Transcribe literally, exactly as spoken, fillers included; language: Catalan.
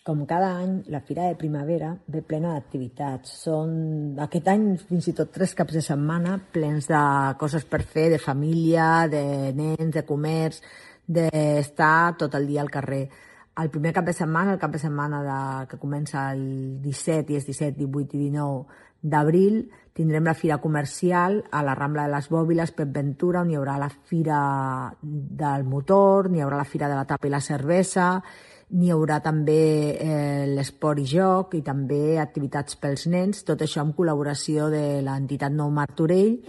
Com cada any, la Fira de Primavera ve plena d'activitats. Són aquest any fins i tot tres caps de setmana plens de coses per fer, de família, de nens, de comerç, d'estar tot el dia al carrer. El primer cap de setmana, el cap de setmana de, que comença el disset i és disset, divuit i dinou d'abril, tindrem la Fira Comercial a la Rambla de les Bòbiles, Pep Ventura, on hi haurà la Fira del Motor, n'hi haurà la Fira de la Tapa i la Cervesa, n'hi haurà també eh, l'esport i joc i també activitats pels nens, tot això amb col·laboració de l'entitat Nou Martorell